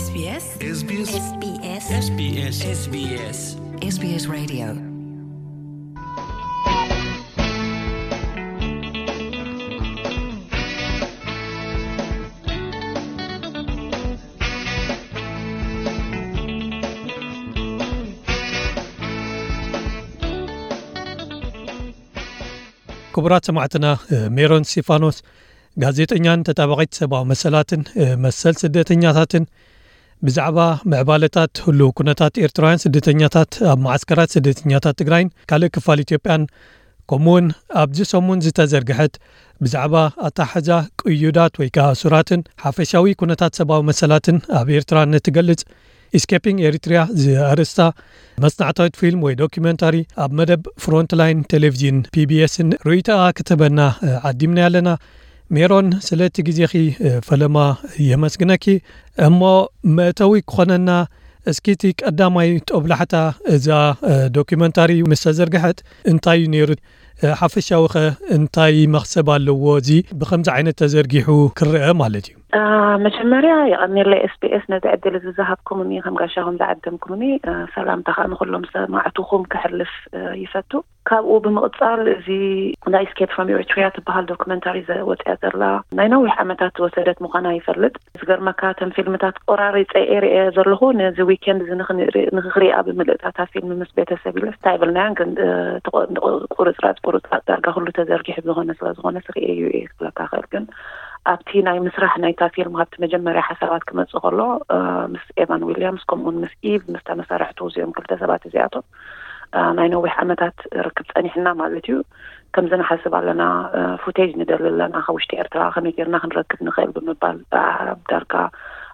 SBS SBS SBS SBS SBS Radio. ክቡራት ሰማዕትና፣ ሜሮን ስቲፋኖስ ጋዜጠኛን ተጣባቒት ሰብኣዊ መሰላትን መሰል ስደተኛታትን ብዛዕባ ምዕባለታት ህሉው ኩነታት ኤርትራውያን ስደተኛታት ኣብ መዓስከራት ስደተኛታት ትግራይን ካልእ ክፋል ኢትዮጵያን፣ ከምኡውን ኣብዚ ሰሙን ዝተዘርግሐት ብዛዕባ ኣተሓሕዛ ቅዩዳት ወይ ከዓ እሱራትን ሓፈሻዊ ኩነታት ሰብኣዊ መሰላትን ኣብ ኤርትራ ንትገልጽ ኢስኬፒንግ ኤሪትሪያ ዝኣርእስታ መጽናዕታዊት ፊልም ወይ ዶኪመንታሪ ኣብ መደብ ፍሮንትላይን ቴሌቪዥን ፒ ቢ ኤስን ርእይቶኣ ክትህበና ዓዲምና ኣለና። ሜሮን፣ ስለቲ ግዜኺ ፈለማ የመስግነኪ። እሞ መእተዊ ክኾነና፣ እስኪ እቲ ቀዳማይ ጦብላሕታ እዛ ዶኪመንታሪ ምስ ተዘርግሐት እንታይ እዩ ነይሩ? ሓፈሻዊ ኸ እንታይ መኽሰብ ኣለዎ? እዚ ብኸምዚ ዓይነት ተዘርጊሑ ክረአ ማለት እዩ። መጀመርያ የቐንየለይ ኤስ ቢ ኤስ ነዚ ዕድል እዚ ዝሃብኩምኒ፣ ከም ጋሻኹም ዝዓደምኩምኒ። ሰላምታ ከዓ ንኩሎም ሰማዕትኹም ክሕልፍ ይፈቱ። ካብኡ ብምቕጻል፣ እዚ ናይ ስኬፕ ፍሮም ኤሪትሪያ ትበሃል ዶክመንታሪ ዘወፅያ ዘላ ናይ ነዊሕ ዓመታት ዝወሰደት ምዃና ይፈልጥ። ዝገርመካ፣ እተን ፊልምታት ቆራሪፀ እየ ርእየ ዘለኹ። ነዚ ዊኬንድ እዚ ንኽንርኢ- ንኽሪኣ ብምልእታታ ፊልም ምስ ቤተሰብ ኢለ ስታይ ብልናያን፣ ግን ቁርፅራፅ ቁርፅራፅ ዳርጋ ኩሉ ተዘርጊሑ ዝኾነ ስለ ዝኾነ ስርእየዩ እየ ክብለካ ክእል። ግን ኣብቲ ናይ ምስራሕ ናይታ ፊልም፣ ኣብቲ መጀመርያ ሓሳባት ክመፅእ ከሎ፣ ምስ ኤቫን ዊልያምስ ከምኡውን ምስ ኢቭ፣ ምስ ተመሳርሕቱ፣ እዚኦም ክልተ ሰባት እዚኣቶም ናይ ነዊሕ ዓመታት ርክብ ጸኒሕና ማለት እዩ። ከምዚ ንሓስብ ኣለና፣ ፉቴጅ ንደሊ ኣለና፣ ካብ ውሽጢ ኤርትራ ከመይ ጌርና ክንረክብ ንኽእል ብምባል፣ ዳርጋ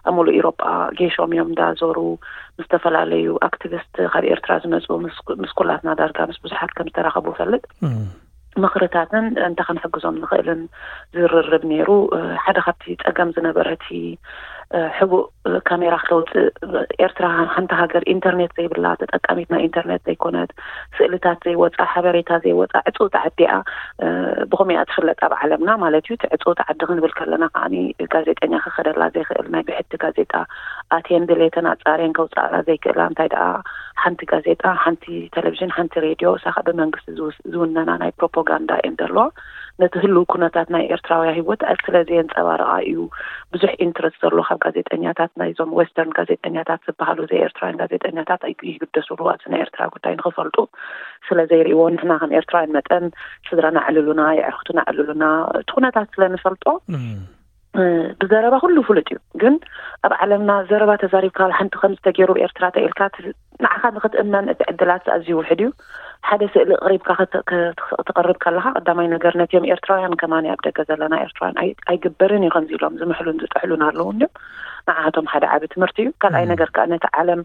ኣብ ሙሉእ ኢሮጳ ጌሾም እዮም እንዳዞሩ፣ ምስ ዝተፈላለዩ ኣክቲቪስት ካብ ኤርትራ ዝመጹ፣ ምስ ኩላትና ዳርጋ ምስ ብዙሓት ከም ዝተራኸቡ እፈልጥ። ምኽርታትን እንተ ክንሕግዞም ንኽእልን ዝርርብ ነይሩ። ሓደ ካብቲ ጸገም ዝነበረ እቲ ሕቡእ ካሜራ ክተውጽእ፣ ኤርትራ ሓንቲ ሃገር ኢንተርኔት ዘይብላ፣ ተጠቃሚት ናይ ኢንተርኔት ዘይኮነት፣ ስእልታት ዘይወጻ፣ ሓበሬታ ዘይወጻ ዕጽውቲ ዓዲ እያ። ብኸምኡ እያ ትፍለጥ ኣብ ዓለምና ማለት እዩ። እቲ ዕጽውቲ ዓዲ ክንብል ከለና ከዓኒ ጋዜጠኛ ክኸደላ ዘይኽእል፣ ናይ ብሕቲ ጋዜጣ ኣትየን ድሌተን ኣጻርየን ከውጻኣላ ዘይክእላ፣ እንታይ ደኣ ሓንቲ ጋዜጣ፣ ሓንቲ ቴሌቪዥን፣ ሓንቲ ሬድዮ፣ እሳ ከዓ ብመንግስቲ ዝውነና ናይ ፕሮፓጋንዳ እየን ዘለዋ። ነቲ ህልው ኩነታት ናይ ኤርትራውያ ህይወት ስለ ዘየንጸባርቓ እዩ ብዙሕ ኢንትረስት ዘሎ ካብ ጋዜጠኛታት፣ ናይዞም ዌስተርን ጋዜጠኛታት ዝበሃሉ፣ ዘይ ኤርትራውያን ጋዜጠኛታት ይግደስሉ ኣብዚ ናይ ኤርትራ ጉዳይ ንኽፈልጡ ስለ ዘይርእይዎ። ንሕና ከም ኤርትራውያን መጠን ስድራና ኣዕልሉና፣ የዕርክቱና ኣዕልሉና፣ እቲ ኩነታት ስለ ንፈልጦ ብዘረባ ኩሉ ፍሉጥ እዩ። ግን ኣብ ዓለምና ዘረባ ተዛሪብካ ሓንቲ ከም ዝተገይሩ ኤርትራ ተኢልካ ንዓኻ ንኽትእመን እቲ ዕድላት ኣዝዩ ውሕድ እዩ። ሓደ ስእሊ ቅሪብካ ክተቕርብ ከለኻ፣ ቀዳማይ ነገር ነቲኦም ኤርትራውያን ከማን ኣብ ደገ ዘለና ኤርትራውያን ኣይግበርን እዩ ከምዚ ኢሎም ዝምሕሉን ዝጥሕሉን ኣለዉ እንዲም፣ ንዓቶም ሓደ ዓቢ ትምህርቲ እዩ። ካልኣይ ነገር ከዓ ነቲ ዓለም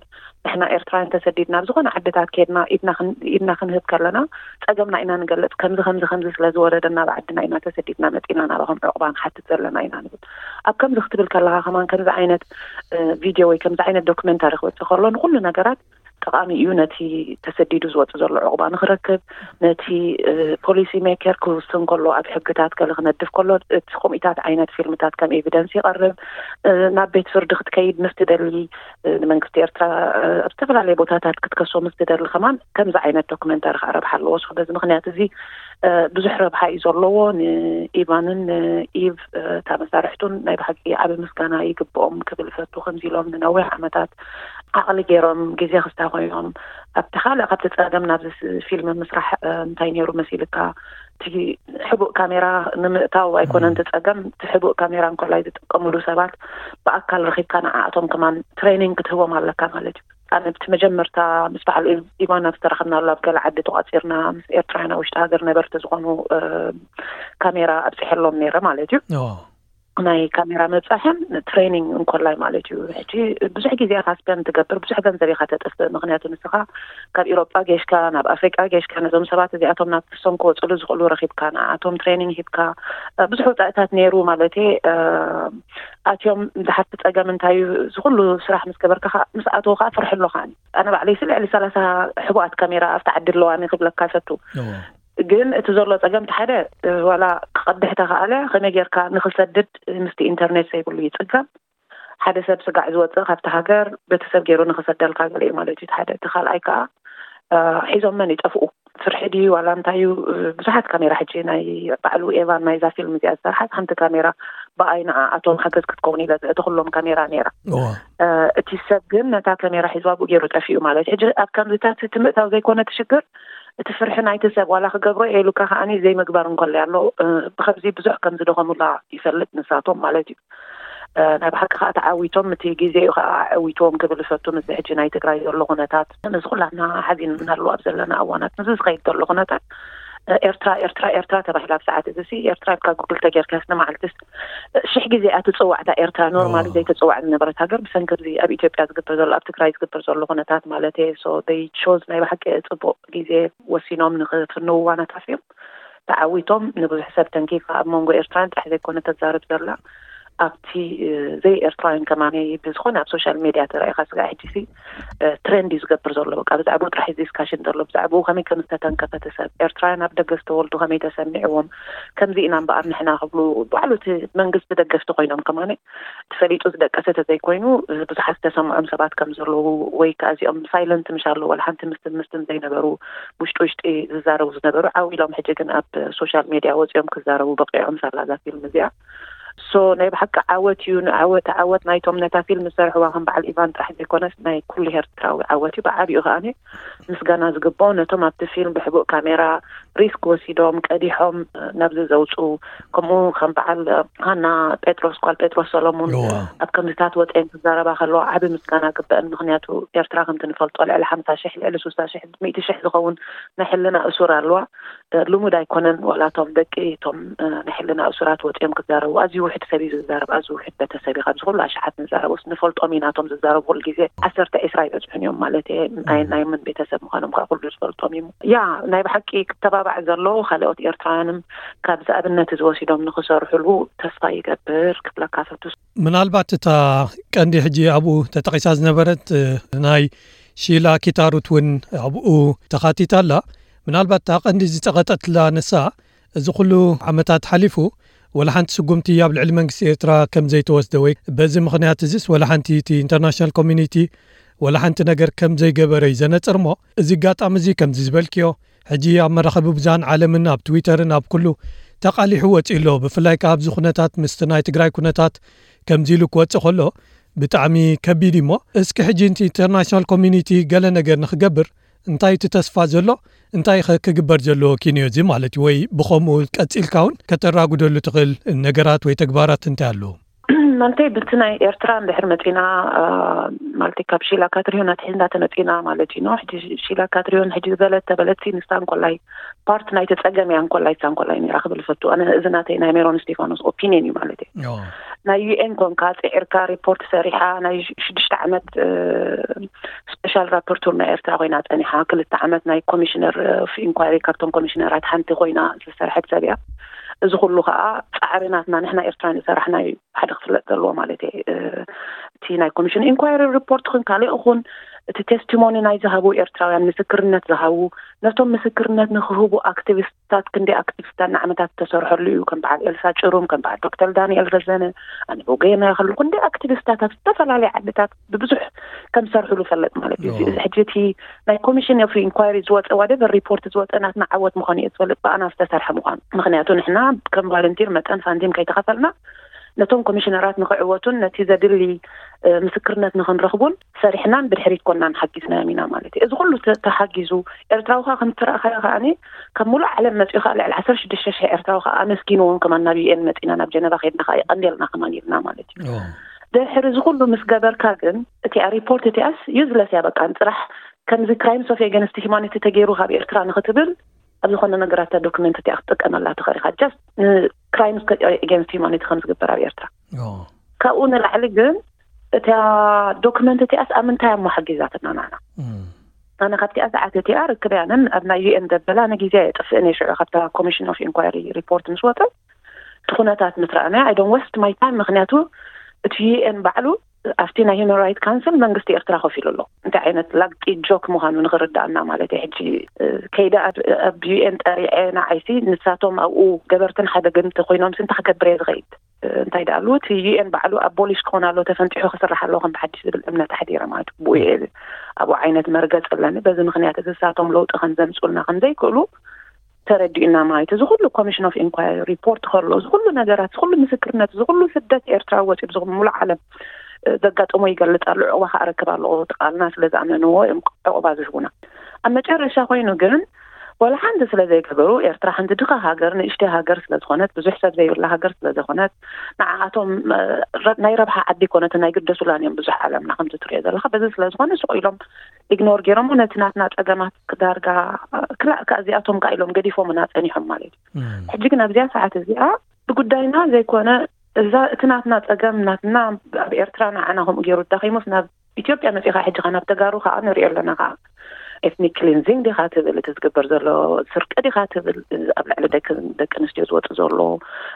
ንሕና ኤርትራውያን ተሰዲድና ኣብ ዝኾነ ዓድታት ከድና ኢድና ክንህብ ከለና፣ ጸገምና ኢና ንገልጽ። ከምዚ ከምዚ ከምዚ ስለ ዝወረደና ኣብ ዓድና ኢና ተሰዲድና መጺና ናባኹም ዕቑባ ንሓትት ዘለና ኢና ንብል። ኣብ ከምዚ ክትብል ከለኻ ከማን ከምዚ ዓይነት ቪድዮ ወይ ከምዚ ዓይነት ዶክመንታሪ ክወጽእ ከሎ ንኹሉ ነገራት ጠቓሚ እዩ። ነቲ ተሰዲዱ ዝወጽእ ዘሎ ዕቑባ ንኽረክብ፣ ነቲ ፖሊሲ ሜከር ክውስን ከሎ፣ ኣብ ሕግታት ገለ ክነድፍ ከሎ፣ እቲ ከምኡታት ዓይነት ፊልምታት ከም ኤቪደንስ ይቐርብ። ናብ ቤት ፍርዲ ክትከይድ ምስ ትደሊ፣ ንመንግስቲ ኤርትራ ኣብ ዝተፈላለየ ቦታታት ክትከሶ ምስ ትደሊ ከማን ከምዚ ዓይነት ዶክመንታሪ ከዓ ረብሓ ኣለዎ። ሶ በዚ ምኽንያት እዚ ብዙሕ ረብሓ እዩ ዘለዎ። ንኢቫንን ንኢቭ እታ መሳርሕቱን ናይ ብሓቂ ዓቢ ምስጋና ይግብኦም ክብል እፈቱ። ከምዚ ኢሎም ንነዊሕ ዓመታት ዓቕሊ ገይሮም፣ ግዜ ክስታ ኮይኖም፣ ኣብቲ ካልእ ካብቲ ጸገም ናብዚ ፊልም ምስራሕ እንታይ ነይሩ መሲልካ? እቲ ሕቡእ ካሜራ ንምእታው ኣይኮነን እቲ ጸገም፣ እቲ ሕቡእ ካሜራ እንኮላይ ዝጥቀምሉ ሰባት ብኣካል ረኺብካ ንዓኣቶም ከማን ትሬኒንግ ክትህቦም ኣለካ ማለት እዩ። ኣነ ብቲ መጀመርታ ምስ በዓል ኢቫን ኣብ ዝተረኸብናሉ ኣብ ገለ ዓዲ ተቋጺርና ምስ ኤርትራውያን ኣብ ውሽጢ ሃገር ነበርቲ ዝኾኑ ካሜራ ኣብፅሐሎም ነይረ ማለት እዩ። ናይ ካሜራ መብፃሕን ትሬኒንግ እንኮላይ ማለት እዩ። ሕጂ ብዙሕ ግዜ ኢኻ ስፔንድ ትገብር፣ ብዙሕ ገንዘብ ኢኻ ተጥፍእ። ምክንያቱ ንስኻ ካብ ኢሮጳ ጌሽካ ናብ ኣፍሪቃ ጌሽካ ነዞም ሰባት እዚኣቶም ናብ ክሶም ክወፅሉ ዝኽእሉ ረኺብካ፣ ንኣቶም ትሬኒንግ ሂብካ፣ ብዙሕ ውፃእታት ነይሩ ማለት ኣትዮም ድሓርቲ ጸገም እንታይ እዩ፣ እዚ ኩሉ ስራሕ ምስ ገበርካ ምስ ኣተው ከዓ ፍርሒ ኣሎ። ከዓኒ ኣነ ባዕለይ ስለ ልዕሊ ሰላሳ ሕቡኣት ካሜራ ኣብቲ ዓዲ ኣለዋኒ ክብለካ ይፈቱ። ግን እቲ ዘሎ ጸገም እቲ ሓደ ዋላ ክቐድሕ ተኸኣለ ከመይ ጌርካ ንኽሰድድ ምስቲ ኢንተርኔት ዘይብሉ ይጽገም። ሓደ ሰብ ስጋዕ ዝወፅእ ካብቲ ሃገር ቤተሰብ ገይሩ ንኽሰደልካ ገለ እዩ ማለት እዩ። ሓደ እቲ ካልኣይ ከዓ እ፣ ሒዞም መን ይጠፍኡ? ፍርሒ ድዩ ዋላ እንታይ እዩ? እ፣ ብዙሓት ካሜራ ሕጂ ናይ ባዕሉ ኤቫን ናይዛ ፊልም እዚኣ ዝሰርሓት ሓንቲ ካሜራ ብኣይ ንዓኣቶም ሓገዝ ክትከውን ኢለ ዘእተኹሎም ካሜራ ነይራ። እዋ። እ፣ እቲ ሰብ ግን ነታ ካሜራ ሒዝዋ ብኡ ገይሩ ጠፊኡ ማለት እዩ። ሕጂ ኣብ ከምዚታት እቲ ምእታው ዘይኮነ እቲ ሽግር፣ እቲ ፍርሒ ናይቲ ሰብ ዋላ ክገብሮ እየ ኢሉካ ከዓኒ ዘይምግባር እንከሎ ኣሎ። እ፣ ብከምዚ ብዙሕ ከም ዝደኸሙላ ይፈልጥ ንሳቶም ማለት እዩ። እ፣ ናይ ብሓቂ ከዓ ተዓዊቶም፣ እቲ ግዜ እዩ ከዓ ኣዕዊትዎም ክብል እፈቱ። ምስዚ ሕጂ ናይ ትግራይ ዘሎ ኩነታት፣ ምስዚ ኩላትና ሓዚንናሉ ኣብ ዘለና እዋናት፣ ምስዚ ዝኸይድ ዘሎ ኩነታት፣ እ፣ ኤርትራ፣ ኤርትራ፣ ኤርትራ ተባሂላ ኣብ ሰዓት እዚ ሲ፣ ኤርትራ ኢልካ ጉግል ተጌርካስ ንመዓልትስ፣ እ፣ ሽሕ ግዜ እያ ትጽዋዕ እታ ኤርትራ። ኖርማሊ ኦ። ዘይተጽዋዕ ዝነበረት ሃገር ብሰንኪ እዚ ኣብ ኢትዮጵያ ዝግበር ዘሎ፣ ኣብ ትግራይ ዝግበር ዘሎ ኩነታት ማለት እየ። So they chose፣ ናይ ብሓቂ ጽቡቕ ግዜ ወሲኖም ንኽፍንውዋ ነታፊዮም። ተዓዊቶም ንብዙሕ ሰብ ተንኪፋ ኣብ መንጎ ኤርትራውያን ጥራሕ ዘይኮነ ተዛርብ ዘላ ኣብቲ፣ እ፣ ዘይ ኤርትራውያን ከማኒ ብዝኾነ ኣብ ሶሻል ሜድያ ተራኢኻ ስጋ ሕጂ ሲ፣ እ፣ ትሬንድ እዩ ዝገብር ዘሎ። በቃ ብዛዕባኡ ጥራሕ እዩ ዲስካሽን ዘሎ። ብዛዕባኡ ከመይ ከም ዝተተንከፈ እቲ ሰብ፣ ኤርትራውያን ኣብ ደገ ዝተወልዱ ከመይ ተሰሚዕዎም፣ ከምዚ ኢና እምበኣር ንሕና ክብሉ ባዕሉ እቲ መንግስቲ ደገፍቲ ኮይኖም ከማኒ ተፈሊጡ ዝደቀሰ ተዘይኮይኑ፣ እ፣ ብዙሓት ዝተሰምዖም ሰባት ከም ዘለዉ ወይ ከዓ እዚኦም ሳይለንት ምሽ ኣለዉ፣ ዋላ ሓንቲ ምስትን ምስትን ዘይነበሩ ውሽጢ ውሽጢ ዝዛረቡ ዝነበሩ ዓው ኢሎም ሕጂ ግን ኣብ ሶሻል ሜድያ ወፂኦም ክዛረቡ በቂዖም ሳላ እዛ ፊልም እዚኣ። ሶ ናይ ብሓቂ ዓወት እዩ። ንዓወት፣ ዓወት ናይቶም ነታ ፊልም ዝሰርሕዋ ከም በዓል ኢቫን ጥራሕ ዘይኮነስ ናይ ኩሉ ኤርትራዊ ዓወት እዩ። ብዓቢኡ ከዓኒ ምስጋና ዝግብኦ ነቶም ኣብቲ ፊልም ብሕቡእ ካሜራ ሪስክ ወሲዶም ቀዲሖም ናብዚ ዘውፅኡ፣ ከምኡ ከም በዓል ሃና ጴጥሮስ፣ ጓል ጴጥሮስ ሰሎሙን እዋ። ኣብ ከምዚታት ወፅአን ክዛረባ ከለዋ ዓቢ ምስጋና ግበአን። ምኽንያቱ ኤርትራ ከምቲ ንፈልጦ ልዕሊ ሓምሳ ሽሕ፣ ልዕሊ ስሳ ሽሕ፣ ሚእቲ ሽሕ ዝኸውን ናይ ሕልና እሱር ኣለዋ። እ፣ ልሙድ ኣይኮነን። ዋላ እቶም ደቂ እቶም፣ እ፣ ናይ ሕልና እሱራት ወፂኦም ክዛረቡ፣ ኣዝዩ ውሕድ ሰብ እዩ ዝዛረብ፣ ኣዝዩ ውሕድ ቤተሰብ እዩ ካብዚ ኩሉ ኣሽሓት ንዛረቦስ ንፈልጦም ኢና። እቶም ዝዛረቡ ኩሉ ግዜ ዓሰርተ ዒስራ ይበፅሑን እዮም ማለት እየ። ናይ፣ ናይ መን ቤተሰብ ምዃኖም ከዓ ኩሉ ዝፈልጦም እዩ። ያ፣ ናይ ብሓቂ ክተባባዕ ዘለዎ ካልኦት ኤርትራውያንም ካብዚ ኣብነት እዚ ወሲዶም ንኽሰርሕሉ ተስፋ ይገብር ክብለካ ፈቱ። ምናልባት እታ ቀንዲ ሕጂ ኣብኡ ተጠቒሳ ዝነበረት፣ እ፣ ናይ ሺላ ኪታሩት እውን ኣብኡ ተኻቲታ ኣላ። ምናልባት እታ ቀንዲ ዝጸቐጠትላ ንሳ፣ እዚ ኩሉ ዓመታት ሓሊፉ፣ ወላ ሓንቲ ስጉምቲ ኣብ ልዕሊ መንግስቲ ኤርትራ ከም ዘይተወስደ ወይ በዚ ምኽንያት እዚስ ወላ ሓንቲ እቲ ኢንተርናሽናል ኮሚኒቲ ወላ ሓንቲ ነገር ከም ዘይገበረ እዩ ዘነጽር። እሞ እዚ ኣጋጣሚ እዚ ከምዚ ዝበልክዮ፣ ሕጂ ኣብ መራኸቢ ብዙሃን ዓለምን ኣብ ትዊተርን ኣብ ኩሉ ተቓሊሑ ወጺኡ ኣሎ። ብፍላይ ከኣ ኣብዚ ኩነታት ምስቲ ናይ ትግራይ ኩነታት ከምዚ ኢሉ ክወጽእ ከሎ ብጣዕሚ ከቢድ እዩ። እሞ እስኪ ሕጂ እቲ ኢንተርናሽናል ኮሚኒቲ ገለ ነገር ንኽገብር እንታይ እቲ ተስፋ ዘሎ? እንታይ ኸ ክግበር ዘለዎ ኪንዮ እዚ ማለት እዩ? ወይ ብኸምኡ ቀጺልካ እውን ከተራጉደሉ ትኽእል ነገራት ወይ ተግባራት እንታይ ኣለዉ? ማለተይ ብቲ ናይ ኤርትራ እንድሕር መጺና፣ አ፣ ማለተይ ካብ ሺላ ካትሪዮን ኣትሒዝና ተመጺና ማለት እዩ። ኖ፣ ሕጂ ሺላ ካትሪዮን ሕጂ ዝበለት ተበለትሲ ንሳ እንኮላይ ፓርት ናይቲ ጸገም እያ፣ እንኮላይ ንሳ እንኮላይ ነይራ ክብል እፈቱ። ኣነ እዚ ናተይ ናይ ሜሮን እስቴፋኖስ ኦፒንየን እዩ ማለት እዩ። ኦ። ናይ ዩ ኤን ኮንካ ጽዒርካ ሪፖርት ሰሪሓ ናይ ሽ-፣ ሽዱሽተ ዓመት፣ እ፣ ስፔሻል ራፖርተር ናይ ኤርትራ ኮይና ጸኒሓ፣ ክልተ ዓመት ናይ ኮሚሽነር ኦፍ ኢንኳይሪ ካብቶም ኮሚሽነራት ሓንቲ ኮይና ዝሰርሐት ሰብ እያ። እዚ ኩሉ ከኣ ጻዕሪ ናትና ንሕና ኤርትራውያን ዝሰራሕና እዩ ሓደ ክፍለጥ ዘለዎ ማለት እየ። እ፣ እቲ ናይ ኮሚሽን ኢንኳይሪ ሪፖርት ኹን ካልእ ኹን እቲ ቴስቲሞኒ ናይ ዝሃቡ ኤርትራውያን ምስክርነት ዝሃቡ ነቶም ምስክርነት ንክህቡ ኣክቲቪስታት ክንደይ ኣክቲቪስታት ንዓመታት ዝተሰርሐሉ እዩ። ከም በዓል ኤልሳ ጭሩም፣ ከም በዓል ዶክተር ዳንኤል ረዘነ፣ ኣነ ብወገየና ይኸሉ ክንደይ ኣክቲቪስታት ኣብ ዝተፈላለዩ ዓድታት ብብዙሕ ከም ዝሰርሕሉ ፈልጥ ማለት እዩ። ኦ። እዚ ሕጂ እቲ ናይ ኮሚሽን ኦፍ ኢንኳይሪ ዝወፀ ዋደቨር ሪፖርት ዝወፀ ናትና ዓወት ምዃኑ እየ ዝፈልጥ ብኣና ዝተሰርሐ ምዃኑ። ምኽንያቱ ንሕና ከም ቫለንቲር መጠን ሳንቲም ከይተኸፈልና ነቶም ኮሚሽነራት ንክዕወቱን ነቲ ዘድሊ፣ እ፣ ምስክርነት ንክንረኽቡን ሰሪሕናን ብድሕሪት ኮናን ሓጊዝናዮም ኢና ማለት እዩ። እዚ ኩሉ ተ-፣ ተሓጊዙ ኤርትራዊ ኸኣ ከም እትረእኻዮ ከኣኒ ካብ ሙሉእ ዓለም መጺኡ ኸኣ ልዕሊ ዓሰርተ ሽዱሽተ ሽሕ ኤርትራዊ ኸኣ ኣመስጊንዎም ከማን ናብ ዩ ኤን መጺና ናብ ጀነቫ ኸይድና ኸኣ የቐንየልና ከማን ኢልና ማለት እዩ። ኦ። ድሕሪ እዚ ኩሉ ምስ ገበርካ ግን እቲኣ ሪፖርት እቲኣስ ዩዝለስ እያ በቃ ንጽራሕ ከምዚ ክራይምስ ኦፍ ኤገንስት ሂማኒቲ ተገይሩ ካብ ኤርትራ ንኽትብል ኣብ ዝኾነ ነገራት እታ ዶክመንት እቲኣ ክትጥቀመላ ትኽእል ኢኻ። ጀስት ንክራይምስ ኤገንስት ሂማኒቲ ከም ዝግበር ኣብ ኤርትራ። ኦ። ካብኡ ንላዕሊ ግን እታ ዶክመንት እቲኣስ ኣብ ምንታይ እሞ ሓጊዛትና ንዓና? እም። ኣነ ካብቲኣ ሰዓት እቲኣ ርክብ ያንን ኣብ ናይ ዩ ኤን ዘበላ ንግዜ የጥፍእን እየ። ሽዑ ካብታ ኮሚሽን ኦፍ ኢንኳይሪ ሪፖርት ምስ ወጠ እቲ ኩነታት ምስ ረኣናዮ፣ I don't waste my time፣ ምኽንያቱ እቲ ዩ ኤን ባዕሉ ኣብቲ ናይ ሂውማን ራይት ካውንስል መንግስቲ ኤርትራ ከፊሉ ኣሎ። እንታይ ዓይነት ላግጢ ጆክ ምዃኑ ንኽርዳእና ማለት እዩ። ሕጂ፣ እ፣ ከይደ ኣብ፣ ኣብ ዩ ኤን ጠሪዐ ንዓይሲ ንሳቶም ኣብኡ ገበርትን ሓደግን እንተኾይኖምሲ እንታይ ክገብር እየ ዝኸይድ? እንታይ ደኣሉ እቲ ዩ ኤን ባዕሉ ኣቦሊሽ ክኾን ኣሎ፣ ተፈንጢሑ ክስራሕ ኣሎ ከም ብሓድሽ ዝብል እምነት ኣሕዲረ ማለት እዩ። ብኡ እየ ኣብኡ ዓይነት መርገጽ ኣለኒ። በዚ ምኽንያት እዚ እሳቶም ለውጢ ከም ዘምጽኡልና ከም ዘይክእሉ ተረዲኡና ማለት እዩ። እዚ ኩሉ ኮሚሽን ኦፍ ኢንኳሪ ሪፖርት ከሎ፣ እዚ ኩሉ ነገራት፣ እዚ ኩሉ ምስክርነት፣ እዚ ኩሉ ስደት ኤርትራ ወፂኡ፣ እዚ ሙሉእ ዓለም ዘጋጠሞ ይገልጽ ኣሎ። ዕቑባ ከኣረክብ ኣለዎ፣ እቲ ቃልና ስለ ዝኣመንዎ እዮም ዕቑባ ዝህቡና። ኣብ መጨረሻ ኮይኑ ግን ወላ ሓንቲ ስለ ዘይገበሩ፣ ኤርትራ ሓንቲ ድኻ ሃገር፣ ንእሽተይ ሃገር ስለ ዝኾነት፣ ብዙሕ ሰብ ዘይብላ ሃገር ስለ ዝኾነት፣ ንዓኣቶም ናይ ረብሓ ዓዲ ኮነት ናይ ግደሱላን እዮም ብዙሕ ዓለምና ከምዚ ትሪኦ ዘለኻ። በዚ ስለ ዝኾነ ስቕ ኢሎም ኢግኖር ገይሮሞ ነቲ ናትና ጸገማት ክዳርጋ ክላእ ከኣ እዚኣቶም ከኣ ኢሎም ገዲፎምና ጸኒሖም ማለት እዩ። ሕጂ ግን ኣብዚኣ ሰዓት እዚኣ ብጉዳይና ዘይኮነ እዛ እቲ ናትና ጸገም ናትና ኣብ ኤርትራ ንዓና ከምኡ ገይሩ ዳኺሙስ ናብ ኢትዮጵያ መጺኻ ሕጂ ኸኣ ናብ ተጋሩ ኸኣ ንሪኦ ኣለና ኸኣ ኤትኒክ ክሊንዚንግ ዲኻ ትብል፣ እቲ ዝግበር ዘሎ ስርቂ ዲኻ ትብል፣ ኣብ ልዕሊ ደቂ ደቂ ኣንስትዮ ዝወጽእ ዘሎ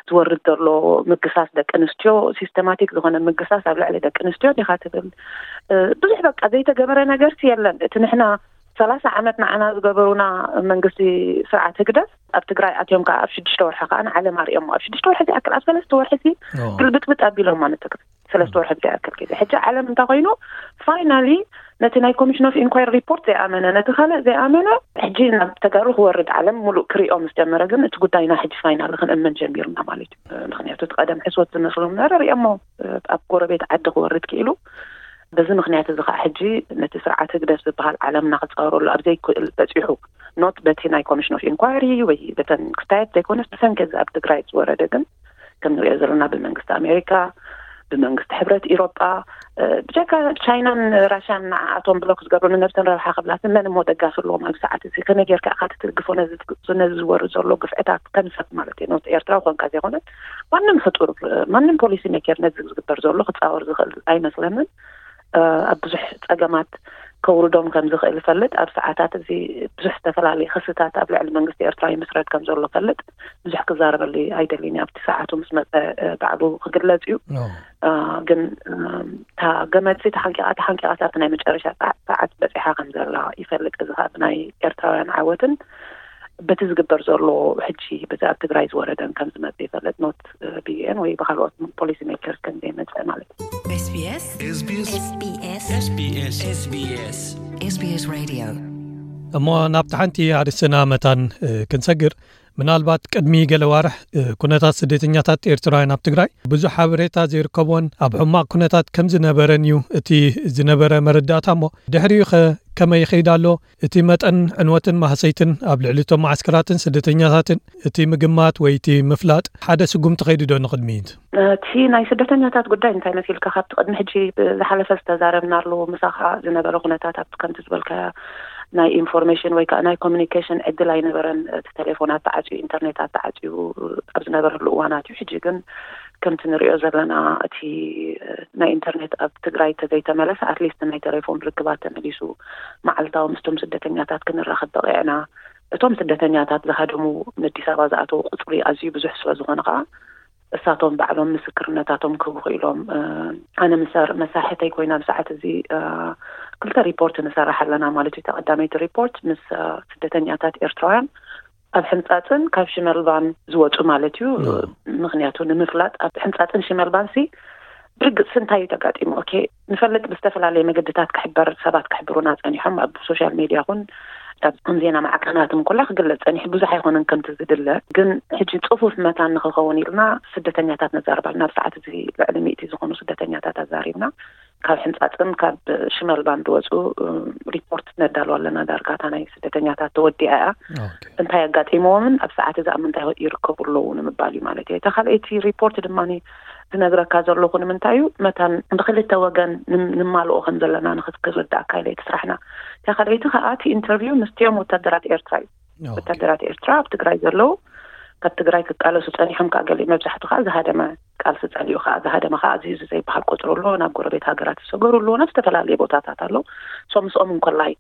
ዝወርድ ዘሎ ምግሳስ ደቂ ኣንስትዮ፣ ሲስተማቲክ ዝኾነ ምግሳስ ኣብ ልዕሊ ደቂ ኣንስትዮ ዲኻ ትብል። ብዙሕ በቃ ዘይተገበረ ነገርሲ የለን። እቲ ንሕና ሰላሳ ዓመት ንዓና ዝገበሩና መንግስቲ ስርዓት ህግደፍ ኣብ ትግራይ ኣትዮም ከዓ ኣብ ሽዱሽተ ወርሒ ከዓ ንዓለም ኣርእዮሞ። ኣብ ሽዱሽተ ወርሒ ዝኣክል፣ ኣብ ሰለስተ ወርሒ ሲ ግልብጥብጥ ኣቢሎማ ንትግራይ። ሰለስተ ወርሒ ዝኣክል ግዜ ሕጂ ዓለም እንታይ ኮይኑ፣ ፋይናሊ ነቲ ናይ ኮሚሽን ኦፍ ኢንኳይሪ ሪፖርት ዘይኣመነ፣ ነቲ ካልእ ዘይኣመነ፣ ሕጂ ናብ ተጋሩ ክወርድ ዓለም ሙሉእ ክሪኦ ምስ ጀመረ ግን እቲ ጉዳይና ሕጂ ፋይናሊ ክንእመን ጀሚርና ማለት እዩ። ምክንያቱ እቲ ቀደም ሕስወት ዝመስሎም ነበረ ሪኦሞ ኣብ ጎረቤት ዓዲ ክወርድ ክኢሉ። በዚ ምክንያት እዚ ከዓ ሕጂ ነቲ ስርዓት ህግደፍ ዝበሃል ዓለምና ክፃወረሉ ኣብ ዘይክእል በፂሑ፣ ኖት በቲ ናይ ኮሚሽን ኦፍ ኢንኳሪ ወይ በተን ክስታየት ዘይኮነስ ብሰንኪ እዚ ኣብ ትግራይ ዝወረደ ግን ከም ንሪኦ ዘለና ብመንግስቲ ኣሜሪካ፣ ብመንግስቲ ሕብረት ኢሮጳ፣ ብጀካ ቻይናን ራሽያን ንዓኣቶም ብሎክ ዝገብሩ ንነብሰን ረብሓ ክብላትን መን እሞ ደጋፊ ኣለዎም ኣብዚ ሰዓት እዚ? ከመይ ጌርካ ኢኻ ትትግፎ ነዚ ዝወርድ ዘሎ ግፍዕታት ከም ሰብ ማለት እዩ? ኖት ኤርትራዊ ኮንካ ዘይኮነስ ማንም ፍጡር፣ ማንም ፖሊሲ ሜከር ነዚ ዝግበር ዘሎ ክጻወር ዝኽእል ኣይመስለንን። ኣብ ብዙሕ ጸገማት ከውርዶም ከም ዝኽእል እፈልጥ። ኣብ ሰዓታት እዚ ብዙሕ ዝተፈላለዩ ክስታት ኣብ ልዕሊ መንግስቲ ኤርትራ ይምስረት ከም ዘሎ እፈልጥ። ብዙሕ ክዛረበሉ ኣይደልን። ኣብቲ ሰዓቱ ምስ መጸ ባዕሉ ክግለጽ እዩ። ግን እታ ገመድ ተሓንቂቓ ተሓንቂቓ ኣብቲ ናይ መጨረሻ ሰዓት በጺሓ ከም ዘላ ይፈልጥ። እዚ ከዓ ብናይ ኤርትራውያን ዓወትን በቲ ዝግበር ዘሎ ሕጂ በዚ ኣብ ትግራይ ዝወረደን ከም ዝመጽእ ይፈልጥ። ኖት ብዩኤን ወይ ብካልኦት ፖሊሲ ሜከርስ ከም ዘይመጽእ ማለት እዩ። SBS SBS SBS SBS SBS Radio እሞ ናብቲ ሓንቲ ኣርእስትና መታን ክንሰግር፣ ምናልባት ቅድሚ ገለ ዋርሕ ኩነታት ስደተኛታት ኤርትራውያን ኣብ ትግራይ ብዙሕ ሓበሬታ ዘይርከቦን ኣብ ሕማቕ ኩነታት ከም ዝነበረን እዩ እቲ ዝነበረ መረዳእታ። እሞ ድሕሪኡ ኸ ከመይ ይኸይድ ኣሎ? እቲ መጠን ዕንወትን ማህሰይትን ኣብ ልዕሊ እቶም መዓስከራትን ስደተኛታትን እቲ ምግማት ወይ እቲ ምፍላጥ ሓደ ስጉምቲ ኸይዱ ዶ ንቕድሚት? እቲ ናይ ስደተኛታት ጉዳይ እንታይ መሲልካ ካብቲ ቅድሚ ሕጂ ዝሓለፈ ዝተዛረብናሉ ምሳኻ ዝነበረ ኩነታት ኣብቲ ከምቲ ዝበልካያ ናይ ኢንፎርሜሽን ወይ ከዓ ናይ ኮሚኒኬሽን ዕድል ኣይነበረን። እቲ ቴሌፎናት ተዓፅዩ፣ ኢንተርኔታት ተዓፅዩ ኣብ ዝነበረሉ እዋናት እዩ። ሕጂ ግን ከምቲ ንሪኦ ዘለና እቲ ናይ ኢንተርኔት ኣብ ትግራይ ተዘይተመለሰ ኣትሊስት ናይ ቴሌፎን ርክባት ተመሊሱ መዓልታዊ ምስቶም ስደተኛታት ክንራኸብ በቂዕና። እቶም ስደተኛታት ዝሃደሙ ንኣዲስ ኣበባ ዝኣተዉ ቁፅሪ ኣዝዩ ብዙሕ ስለ ዝኾነ ከዓ እሳቶም ባዕሎም ምስክርነታቶም ክህቡ ክኢሎም። ኣነ ምስ መሳርሕተይ ኮይና ብሰዓት እዚ ክልተ ሪፖርት ንሰርሕ ኣለና ማለት እዩ። ተቐዳመይቲ ሪፖርት ምስ ስደተኛታት ኤርትራውያን ኣብ ሕንጻጽን ካብ ሽመልባን ዝወጹ ማለት እዩ። ምክንያቱ ንምፍላጥ ኣብ ሕንጻጽን ሽመልባን ሲ ብርግጽ እንታይ እዩ ተጋጢሙ? ኦኬ፣ ንፈልጥ ብዝተፈላለየ መገድታት ክሕበር ሰባት ክሕብሩና ጸኒሖም ኣብ ሶሻል ሜድያ ኹን ኣብ ዜና ማዕከናት እንኮላ ክግለጽ ጸኒሑ ብዙሕ ኣይኮነን ከምቲ ዝድለ። ግን ሕጂ ጽፉፍ መታን ንኽኸውን ኢልና ስደተኛታት ነዛርብ ኣለና። ኣብ ሰዓት እዚ ልዕሊ ሚእቲ ዝኾኑ ስደተኛታት ኣዛሪብና። ካብ ሕንጻጽን ካብ ሽመልባን ዝወጹ ሪፖርት ነዳሉ ኣለና። ዳርጋ እታ ናይ ስደተኛታት ተወዲኣ እያ። እንታይ ኣጋጢሞዎምን ኣብ ሰዓት እዚ ኣብ ምንታይ ይርከቡ ኣለዉ ንምባል እዩ ማለት እዩ። እታ ካልኣይቲ ሪፖርት ድማ ዝነግረካ ዘለኹ ንምንታይ እዩ መታን ብክልተ ወገን ንማልኦ ከም ዘለና ንክትርዳእካ ኢለ እቲ ስራሕና። እታ ካልኣይቲ ከዓ እቲ ኢንተርቪው ምስቲኦም ወታደራት ኤርትራ እዩ። ወታደራት ኤርትራ ኣብ ትግራይ ዘለዉ ካብ ትግራይ ክቃለሱ ጸኒሖም ከዓ ገሊኡ መብዛሕቱ ከዓ ዝሃደመ ቃልሲ ጸሊኡ ከዓ ዝሃደመ ከዓ እዚ እዚ ዘይበሃል ቁፅሪ ኣሎ። ናብ ጎረቤት ሃገራት ዝሰገሩ ኣሎ። ናብ ዝተፈላለየ ቦታታት ኣሎ። ሶ ምስኦም እንኮላይ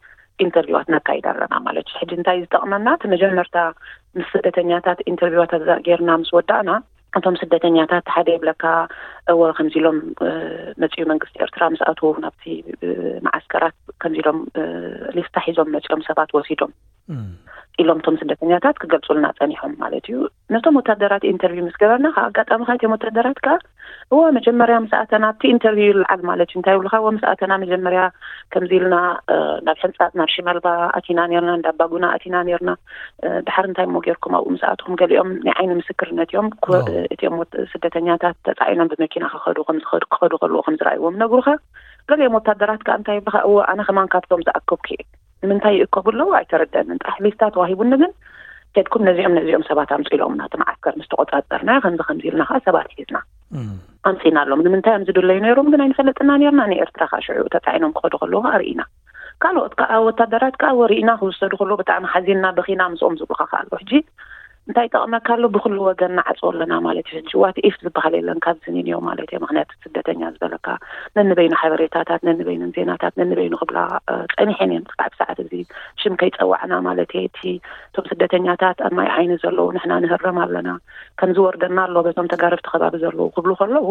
ኢንተርቪዋት ነካይድ ኣለና ማለት እዩ። ሕጂ እንታይ ዝጠቕመና እቲ መጀመርታ ምስ ስደተኛታት ኢንተርቪዋት ጌርና ምስ ወዳእና እቶም ስደተኛታት ሓደ ይብለካ እወ ከምዚ ኢሎም መፅኡ መንግስቲ ኤርትራ ምስ ኣትዉ ናብቲ መዓስከራት ከምዚ ኢሎም ሊስታ ሒዞም መፅኦም ሰባት ወሲዶም ኢሎም እቶም ስደተኛታት ክገልጹልና ጸኒሖም ማለት እዩ። ነቶም ወታደራት ኢንተርቪው ምስ ገበርና፣ ካብ ኣጋጣሚ ከኣ እቶም ወታደራት ከኣ፣ እወ፣ መጀመርያ ምስ ኣተና ኣብቲ ኢንተርቪው ይለዓል ማለት እዩ። እንታይ ይብሉኻ? እወ፣ ምስ ኣተና መጀመርያ ከምዚ ኢልና፣ እ፣ ናብ ሕንጻጽ፣ ናብ ሽመልባ ኣቲና ኔርና፣ እንዳ ኣባጉና ኣቲና ኔርና። እ፣ ድሓር እንታይ እሞ ጌርኩም ኣብኡ ምስ ኣትኹም? ገሊኦም ናይ ዓይኒ ምስክርነት እዮም። ኩ-፣ ኦ። እ፣ እቲኦም ወት-፣ ስደተኛታት ተጻዒኖም ብመኪና ክኸዱ፣ ከም ዝኸዱ፣ ክኸዱ ከለዉ ከም ዝረኣይዎም ነግሩኻ። ገሊኦም ወታደራት ከኣ እንታይ ይብሉኻ? እወ፣ ኣነ ከማን ካብቶም ዝኣከብኩ እየ። ንምንታይ ይእከቡ ኣለዉ ኣይተረደንን። ጥራሕ ሊስታ ተዋሂቡኒ ግን፣ ከድኩም ነዚኦም ነዚኦም ሰባት ኣምጹ ኢሎምና፣ እቲ መዓስከር ምስ ተቆጻጸርና፣ ከምዚ ከምዚ ኢልና ከኣ ሰባት ሒዝና እም። ኣምጺእናሎም። ንምንታይ እዮም ዝድለዩ ነይሮም ግን ኣይንፈልጥና ነይርና። ንኤርትራ ከኣ ሽዑ ተጻዒኖም ክኸዱ ከለዉ ከኣ ርኢና። ካልኦት ከኣ ወታደራት ከኣ ወ-፣ ርኢና ክውሰዱ ከለዉ ብጣዕሚ ሓዚንና፣ በኺና ምስኦም ዝብሉኻ ከኣ ኣለዉ። ሕጂ እንታይ ይጠቕመካ ኣሎ? ብኹሉ ወገን ንዓጽዎ ኣለና ማለት እዩ። ሕጂ ዋት ኢፍ ዝበሃል የለን ካብዚ ንንዮ ማለት እየ። ምኽንያቱ ስደተኛ ዝበለካ ነንበይኑ ሓበሬታታት፣ ነንበይኑ ዜናታት፣ ነንበይኑ ክብላ፣ እ፣ ጸኒሐን እየን። ክሳዕ ሰዓት እዚ ሽም ከይጸዋዕና ማለት እየ። እቲ፣ እቶም ስደተኛታት ኣብ ማይ ዓይኒ ዘለዉ ንሕና ንህረም ኣለና፣ ከም ዝወርደና ኣሎ በቶም ተጋረብቲ ከባቢ ዘለዉ ክብሉ ከለዉ፣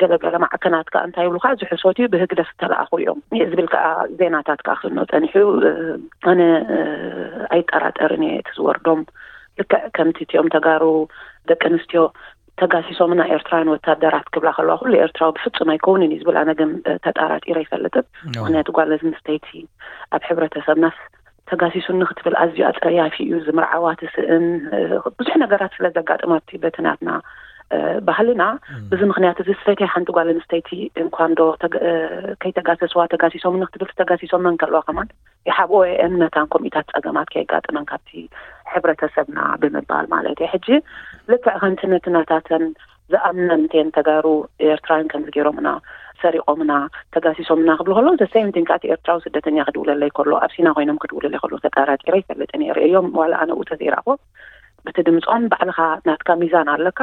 ገለገለ ማዕከናት ከኣ እንታይ ይብሉኻ? እዚ ሕሶት እዩ፣ ብህግደፍ ዝተለኣኹ እዮም ዝብል ከኣ ዜናታት ከኣ ክፍኖ ጸኒሑ። እ፣ ኣነ፣ እ፣ ኣይጠራጠርን እየ እቲ ዝወርዶም። ልክዕ ከምቲ እቲኦም ተጋሩ ደቂ ኣንስትዮ ተጋሲሶምና ኤርትራውያን ወታደራት ክብላ ከለዋ፣ ኩሉ ኤርትራዊ ብፍጹም ኣይከውንን እዩ ዝብል። ኣነ ግን፣ እ፣ ተጣራጢረ ኣይፈልጥን። ኦ። ምኽንያቱ ጓል ኣንስተይቲ ኣብ ሕብረተሰብናስ ተጋሲሱኒ ክትብል ኣዝዩ ኣጸያፊ እዩ። ዝምርዓዋ ትስእን፣ እ፣ ብዙሕ ነገራት ስለ ዘጋጥማት በቲ ናትና፣ እ፣ ባህልና፣ እም። በዚ ምኽንያት እዚ ዝፈትያ ሓንቲ ጓል ኣንስተይቲ እንኳን ዶ ተገ-፣ እ፣ ከይተጋሰስዋ፣ ተጋሲሶምኒ ክትብል፣ ተጋሲሶመን ከለዋ ከማን ይሓብኦ እየን መታን ከምኡታት ጸገማት ከየጋጥመን ካብቲ ሕብረተሰብና ብምባል ማለት እዩ። ሕጂ ልክዕ ከምቲ ነቲ ናታተን ዝኣምነን እተን ተጋሩ ኤርትራውያን ከምዚ ገይሮምና፣ ሰሪቖምና፣ ተጋሲሶምና ክብሉ ከለዉ፣ the same thing ከኣ እቲ ኤርትራዊ ስደተኛ ክድውለለይ ከሎ፣ ኣብ ሲና ኮይኖም ክድውለለይ ከሎ ተጣራጢረ ይፈልጥ ነይረ። እዮም ዋላ ኣነ ኡ ተዘይረኣኽዎ፣ በቲ ድምጾም ባዕልኻ ናትካ ሚዛን ኣለካ፣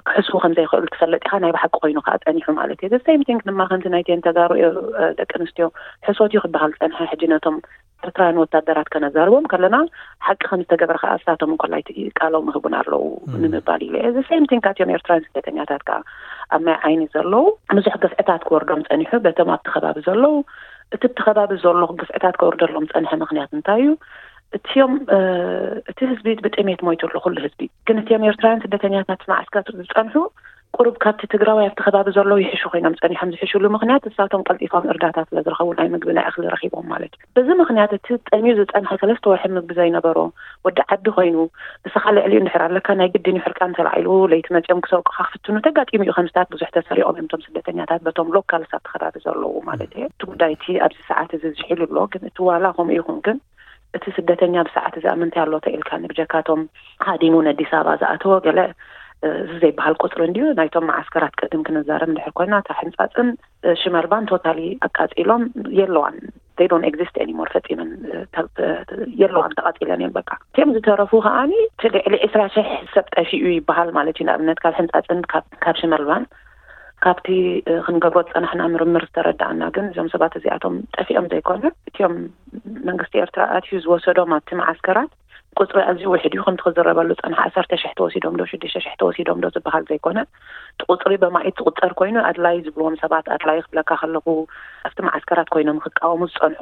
ክሕስቡ ከም ዘይኽእሉ ትፈልጥ ኢኻ፣ ናይ ብሓቂ ኮይኑ ከኣ ጸኒሑ ማለት እዩ። The same thing ድማ ከምቲ ናይተን ተጋሩ፣ እ፣ ደቂ ኣንስትዮ ሕሶት እዩ ክበሃል ጸንሐ። ሕጂ ነቶም ኤርትራውያን ወታደራት ከነዛርቦም ከለና፣ ሓቂ ከም ዝተገበረ ከኣ እሳቶም እንኮላይ እቲ ቃሎም ይህቡና ኣለዉ እም። ንምባል ኢለ እየ። The same thing ከኣ እቲኦም ኤርትራውያን ስደተኛታት ከኣ ኣብ ማይ ዓይኒ ዘለዉ ብዙሕ ግፍዕታት ክወርዶም ጸኒሑ፣ በቶም ኣብቲ ከባቢ ዘለዉ፣ እቲ ኣብቲ ከባቢ ዘሎ ግፍዕታት ክወርደሎም ጸንሐ ምኽንያት እንታይ እዩ? እቲኦም፣ እ፣ እቲ ህዝቢ ብጥሜት ሞይቱ ኣሎ፣ ኩሉ ህዝቢ። ግን እቲኦም ኤርትራውያን ስደተኛታት መዓስከር ዝጸንሑ፣ ቁሩብ ካብቲ ትግራዋይ ኣብቲ ከባቢ ዘለዉ ይሕሹ ኮይኖም ጸኒሖም። ዝሕሹሉ ምኽንያት፣ እሳቶም ቀልጢፎም እርዳታ ስለ ዝረኸቡ፣ ናይ ምግቢ፣ ናይ እኽሊ ረኺቦም ማለት እዩ። በዚ ምኽንያት፣ እቲ ጠምዩ ዝጸንሐ ሰለስተ ወርሒ ምግቢ ዘይነበሮ ወዲ ዓዲ ኮይኑ፣ ንስኻ ልዕሊኡ እንድሕር ኣለካ፣ ናይ ግድን እዩ ሕርቃን ተላዒሉ፣ ለይቲ መጺኦም ክሰውቅኻ ክፍትኑ ተጋጢሙ እዩ። ከምስታት ብዙሕ ተሰሪቖም እዮም እቶም ስደተኛታት፣ በቶም ሎካልስ ኣብቲ ከባቢ ዘለዉ ማለት እዩ። እቲ ጉዳይ እቲ ኣብዚ ሰዓት እዚ ዝሒሉ ኣሎ። ግን እቲ ዋላ ከምኡ ይኹን ግን፣ እቲ ስደተኛ ብሰዓት እዚኣ ምንታይ ኣሎ ተኢልካኒ፣ ብጀካቶም ሃዲሙ ነዲስ ኣበባ ዝኣተወ ገለ፣ እ፣ እዚ ዘይበሃል ቁጽሪ እንድዩ። ናይቶም መዓስከራት ቅድም ክንዛረብ እንድሕር ኮይና፣ እታ ሕንጻጽን፣ እ፣ ሽመልባን ቶታሊ ኣቃጺሎም የለዋን። They don't exist anymore፣ ፈጺመን፣ እ፣ ተ-፣ ተ-፣ የለዋን፣ ተቓጺለን እየን በቃ። እቲኦም ዝተረፉ ከኣኒ እቲ ልዕሊ ዕስራ ሽሕ ሰብ ጠፊኡ ይበሃል ማለት እዩ። ንኣብነት ካብ ሕንጻጽን ካብ፣ ካብ ሽመልባን ካብቲ፣ እ፣ ክንገብሮ ዝጸናሕና ምርምር ዝተረዳእና ግን እዞም ሰባት እዚኣቶም ጠፊኦም ዘይኮነ፣ እቲኦም መንግስቲ ኤርትራ ኣትዩ ዝወሰዶም ኣብቲ መዓስከራት ቁጽሪ ኣዝዩ ውሕድ እዩ። ከምቲ ክዝረበሉ ዝጸንሐ ዓሰርተ ሽሕ ተወሲዶም ዶ ሽዱሽተ ሽሕ ተወሲዶም ዶ ዝበሃል ዘይኮነ፣ እቲ ቁጽሪ በማኢት ዝቁጸር ኮይኑ፣ ኣድላይ ዝብልዎም ሰባት፣ ኣድላይ ክብለካ ከለኹ ኣብቲ መዓስከራት ኮይኖም ክቃወሙ ዝጸንሑ፣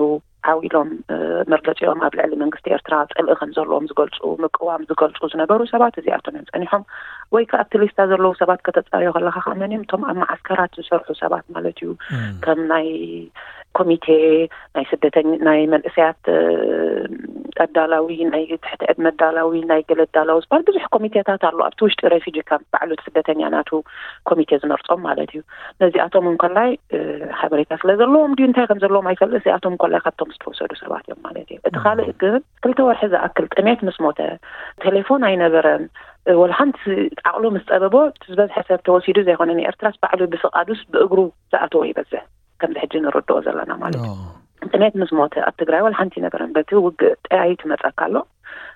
ዓው ኢሎም፣ እ፣ መርገጺኦም ኣብ ልዕሊ መንግስቲ ኤርትራ ጽልኢ ከም ዘለዎም ዝገልጹ፣ ምቅዋም ዝገልጹ ዝነበሩ ሰባት እዚኣቶም እዮም ጸኒሖም። ወይ ከኣ ኣብቲ ሊስታ ዘለዉ ሰባት ከተጻርዮ ከለኻ ከኣ መን እዮም? እቶም ኣብ መዓስከራት ዝሰርሑ ሰባት ማለት እዩ። እም። ከም ናይ ኮሚቴ፣ ናይ ስደተኛ፣ ናይ መንእሰያት፣ እ፣ ኣዳላዊ፣ ናይ ትሕቲ ዕድመ ኣዳላዊ፣ ናይ ገለ ኣዳላዊ ዝበሃል ብዙሕ ኮሚቴታት ኣሎ። ኣብቲ ውሽጢ ሬፊጂ ካምፕ ባዕሉ እቲ ስደተኛ ናቱ ኮሚቴ ዝመርጾም ማለት እዩ። ነዚኣቶም እንከላይ፣ እ፣ ሓበሬታ ስለ ዘለዎም ድዩ እንታይ ከም ዘለዎም ኣይፈልጥ፣ እዚኣቶም እንከላይ ካብቶም ዝተወሰዱ ሰባት እዮም ማለት እዩ። እቲ ካልእ ግን ክልተ ወርሒ ዝኣክል ጥሜት ምስ ሞተ፣ ቴሌፎን ኣይነበረን፣ እ፣ ወላ ሓንቲ ዓቕሉ ምስ ጸበቦ፣ እቲ ዝበዝሐ ሰብ ተወሲዱ ዘይኮነ ንኤርትራስ ባዕሉ ብፍቓዱስ ብእግሩ ዝኣተወ ይበዝሕ፣ ከምዚ ሕጂ ንርድኦ ዘለና ማለት እዩ። ኦ። ጥሜት ምስ ሞተ ኣብ ትግራይ ወላ ሓንቲ ኣይነበረን። በቲ ውግእ ጠያይት ይመጸካ ኣሎ።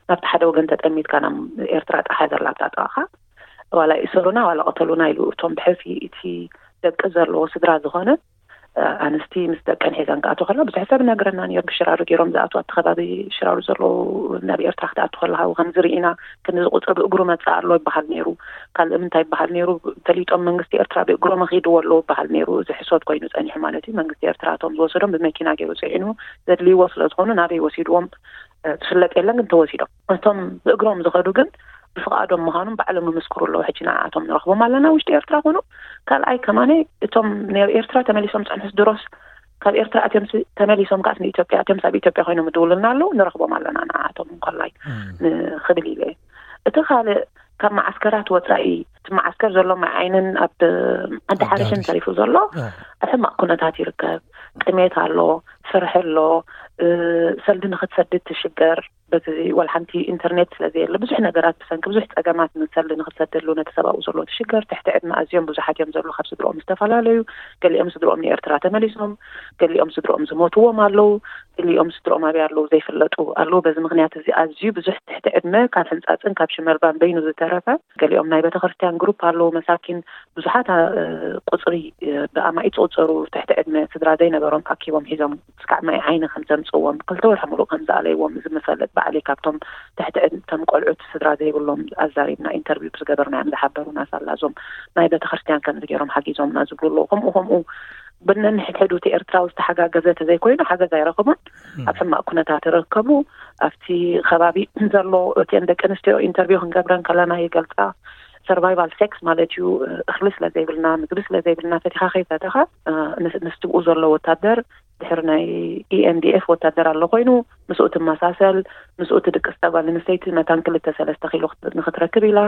ናብቲ ሓደ ወገን ተጠሚትካ ናብ ኤርትራ ጸሓይ ዘላ ኣብታ ጥቓኻ፣ ዋላ ይእሰሩና ዋላ ቅተሉና ኢሉ እቶም ብሕልፊ እቲ ደቂ ዘለዎ ስድራ ዝኾነ፣ እ፣ ኣንስቲ ምስ ደቀን ሒዘን ክኣትዋ ከለዋ ብዙሕ ሰብ ይነግረና ነይሩ። ብሽራሩ ገይሮም ዝኣትዉ ኣብቲ ከባቢ ሽራሩ ዘለዉ ናብ ኤርትራ ክትኣቱ ከለኻ ከምዚ ርኢና፣ ክንዚ ቁጽሪ ብእግሩ መጽእ ኣሎ ይበሃል ነይሩ። ካልእ እንታይ ይበሃል ነይሩ? ፈሊጦም መንግስቲ ኤርትራ ብእግሮም ኣኺድዎ ኣለዉ ይበሃል ነይሩ። እዚ ሕሶት ኮይኑ ጸኒሑ ማለት እዩ። መንግስቲ ኤርትራ እቶም ዝወሰዶም ብመኪና ገይሩ ጽዒኑ ዘድልይዎ ስለ ዝኾኑ ናበይ ወሲድዎም ዝፍለጥ የለን፣ ግን ተወሲዶም። እቶም ብእግሮም ዝኸዱ ግን ብፍቓዶም ምዃኖም ባዕሎም ይምስክሩ ኣለዉ። ሕጂ ንዓኣቶም ንረኽቦም ኣለና፣ ውሽጢ ኤርትራ ኮኑ። ካልኣይ ከማነ እቶም ናብ ኤርትራ ተመሊሶም ጸንሑስ ድሮስ ካብ ኤርትራ ኣትዮም ሲ-፣ ተመሊሶም ከኣስ ንኢትዮጵያ ኣትዮም፣ ሳብ ኢትዮጵያ ኮይኖም ይድውሉልና ኣለዉ፣ ንረኽቦም ኣለና ንዓኣቶም እንኮላይ ንኽብል ኢለ። እቲ ካልእ ካብ መዓስከራት ወጻኢ፣ እቲ መዓስከር ዘሎ ማይ ዓይንን ኣብ ዓዲ ሓሪሽን ተሪፉ ዘሎ ኣብ ሕማቕ ኩነታት ይርከብ። ጥሜት ኣሎ፣ ፍርሒ ኣሎ፣ ሰልዲ ንኽትሰድድ ትሽገር። በዚ ዋላ ሓንቲ ኢንተርኔት ስለ ዘየለ ብዙሕ ነገራት ብሰንኪ ብዙሕ ጸገማት ንሰልዲ ንኽትሰደሉ ነቲ ሰብኣኡ ዘሎ ትሽገር። ትሕቲ ዕድመ ኣዝዮም ብዙሓት እዮም ዘለዉ፣ ካብ ስድርኦም ዝተፈላለዩ። ገሊኦም ስድርኦም ንኤርትራ ተመሊሶም፣ ገሊኦም ስድርኦም ዝሞትዎም ኣለዉ፣ ገሊኦም ስድርኦም ኣበይ ኣለዉ ዘይፍለጡ ኣለዉ። በዚ ምኽንያት እዚ ኣዝዩ ብዙሕ ትሕቲ ዕድመ ካብ ሕንጻጽን ካብ ሽመልባን በይኑ ዝተረፈ፣ ገሊኦም ናይ ቤተክርስትያን ግሩፕ ኣለዉ፣ መሳኪን ብዙሓት ቁጽሪ ብኣማኢት ዝቑጸሩ ትሕቲ ዕድመ ስድራ ዘይነበሮም ኣኪቦም ሒዞም ስካዕ ማይ ዓይኒ ከም ዘምጽዎም፣ ክልተ ወርሒ ሙሉእ ከም ዝኣለይዎም እዚ ምፈልጥ ባዕለይ ካብቶም ትሕቲ ዕድመ እቶም ቆልዑት ስድራ ዘይብሎም ኣዛሪብና ኢንተርቪው ዝገበርናዮም ዝሓበሩና ሳላ እዞም ናይ ቤተክርስትያን ከምዚ ገይሮም ሓጊዞምና ዝብሉ ኣለዉ። ከምኡ ከምኡ ብነንሕድሕዱ እቲ ኤርትራዊ ዝተሓጋገዘ ተዘይኮይኑ ሓገዝ ኣይረኽቡን። ኣብ ሕማቕ ኩነታት ይረከቡ። ኣብቲ ከባቢ ዘሎ እቲን ደቂ ኣንስትዮ ኢንተርቪው ክንገብረን ከለና ይገልጻ። ሰርቫይቫል ሴክስ ማለት እዩ። እኽሊ ስለ ዘይብልና፣ ምግቢ ስለ ዘይብልና፣ ፈቲኻ ከይፈተኻ፣ እ፣ ንስ-፣ ንስትብኡ ዘሎ ወታደር ድሕሪ ናይ ኢኤንዲኤፍ ወታደር ኣሎ ኮይኑ፣ ምስኡ ትመሳሰል፣ ምስኡ ትድቅስ እታ ጓል ኣንስተይቲ መታን ክልተ ሰለስተ ኪሎ ክት-፣ ንኽትረክብ ኢላ።